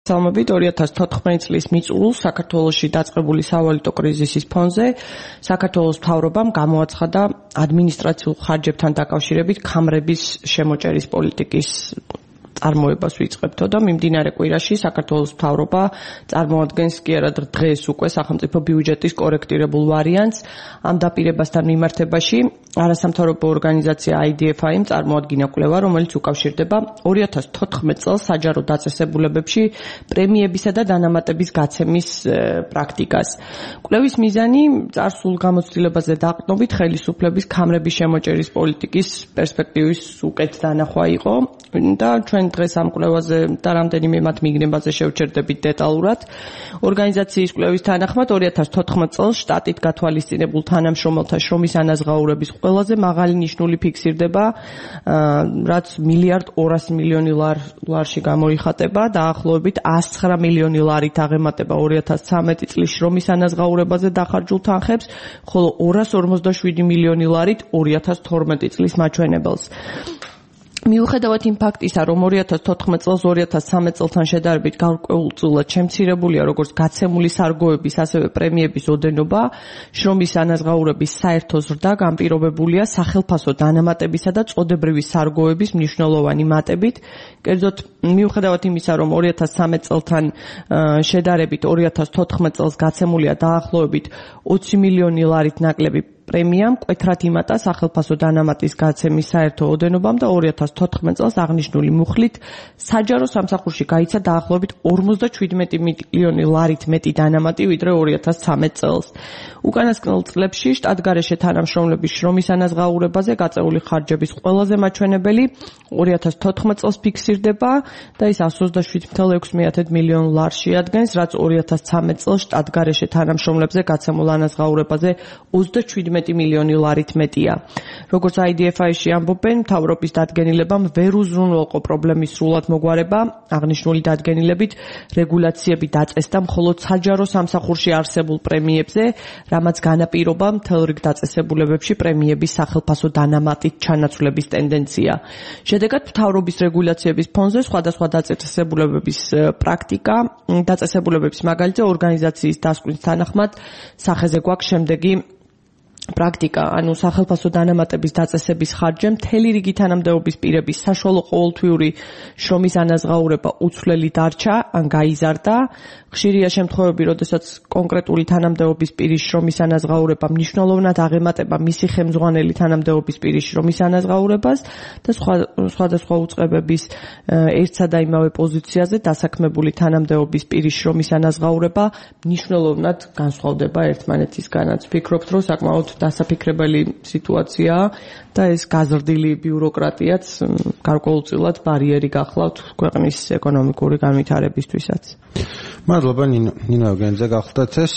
მოგესალმებით 2014 წლის მიწურულს საქართველოში დაწყებული სავალუტო კრიზისის ფონზე საქართველოს მთავრობამ გამოაცხადა ადმინისტრაციულ ხარჯებთან დაკავშირებით ქამრების შემოჭერის პოლიტიკის წარმოებას ვიწყებთო და მიმდინარე კვირაში საქართველოს მთავრობა წარმოადგენს კი არა დღეს უკვე სახელმწიფო ბიუჯეტის კორექტირებულ ვარიანტს ამ დაპირებასთან მიმართებაში არასამთავრობო ორგანიზაცია IDFI-მ წარმოადგინა კვლევა, რომელიც უკავშირდება 2014 წელს საჯარო დაწესებულებებში პრემიებისა და დანამატების გაცემის პრაქტიკას. კვლევის მიზანი წარსულ გამოცდილებაზე დაყრდნობით ხელისუფლების ქამრების შემოჭერის პოლიტიკის პერსპექტივის უკეთ დანახვა იყო და ჩვენ დღეს ამ კვლევაზე და რამდენიმე მათ მიგნებაზე შევჩერდებით დეტალურად. ორგანიზაციის კვლევის თანახმად 2014 წელს შტატით გათვალისწინებულ თანამშრომელთა შრომის ანაზღაურების ყველაზე მაღალი ნიშნული ფიქსირდება, რაც $1.2 მილიარდი ლარში გამოიხატება, დაახლოებით 109 მილიონი ლარით აღემატება 2013 წლის შრომის ანაზღაურებაზე დახარჯულ თანხებს, ხოლო 247 მილიონი ლარით 2012 წლის მაჩვენებელს. მიუხედავად იმ ფაქტისა, რომ 2014 წელს 2013 წელთან შედარებით გარკვეულწილად შემცირებულია როგორც გაცემული სარგოების, ასევე პრემიების ოდენობა, შრომის ანაზღაურების საერთო ზრდა განპირობებულია სახელფასო დანამატებისა და წოდებრივი სარგოების მნიშვნელოვანი მატებით. კერძოდ, მიუხედავად იმისა, რომ 2013 წელთან შედარებით 2014 წელს გაცემულია დაახლოებით 20 მილიონი ლარით ნაკლები პრემიამ მკვეთრად იმატა სახელფასო დანამატის გაცემის საერთო ოდენობამ და 2014 წელს აღნიშნული მუხლით საჯარო სამსახურში გაიცა დაახლოებით 57 მილიონი ლარით მეტი დანამატი ვიდრე 2013 წელს. უკანასკნელ წლებში შტატგარეშე თანამშრომლების შრომის ანაზღაურებაზე გაწეული ხარჯების ყველაზე მაჩვენებელი 2014 წელს ფიქსირდება და ის 127,6 მილიონ ლარში ადგენს, რაც 2013 წელს შტატგარეშე თანამშრომლებზე გაცემულ ანაზღაურებაზე 27 მილიონი ლარით მეტია. როგორც IDFI-ში ამბობენ, მთავრობის დადგენილებამ ვერ უზრუნველყო პრობლემის სრულად მოგვარება, აღნიშნული დადგენილებით რეგულაციები დაწესდა მხოლოდ საჯარო სამსახურში არსებულ პრემიებზე, რამაც განაპირობა მთელ რიგ დაწესებულებებში პრემიების სახელფასო დანამატით ჩანაცვლების ტენდენცია. შედეგად მთავრობის რეგულაციების ფონზე სხვადასხვა დაწესებულებების პრაქტიკა, დაწესებულებების მაგალითზე ორგანიზაციის დასკვნის თანახმად სახეზე გვაქვს შემდეგი პრაქტიკა, ანუ სახელფასო დანამატების დაწესების ხარჯზე მთელი რიგი თანამდებობის პირების საშუალო ყოველთვიური შრომის ანაზღაურება უცვლელი დარჩა ან გაიზარდა. ხშირია შემთხვევები, როდესაც კონკრეტული თანამდებობის პირის შრომის ანაზღაურება მნიშვნელოვნად აღემატება მისი ხელმძღვანელი თანამდებობის პირის შრომის ანაზღაურებას და სხვადასხვა უწყებების ერთსა და იმავე პოზიციაზე დასაქმებული თანამდებობის პირის შრომის ანაზღაურება მნიშვნელოვნად განსხვავდება ერთმანეთისგანაც. ვფიქრობთ, რომ საკმაოდ დასაფიქრებელი სიტუაციაა და ეს გაზრდილი ბიუროკრატიაც გარკვეულწილად ბარიერი გახლავთ ქვეყნის ეკონომიკური განვითარებისთვისაც. მადლობა ნინო ეუგენიძე გახლდათ ეს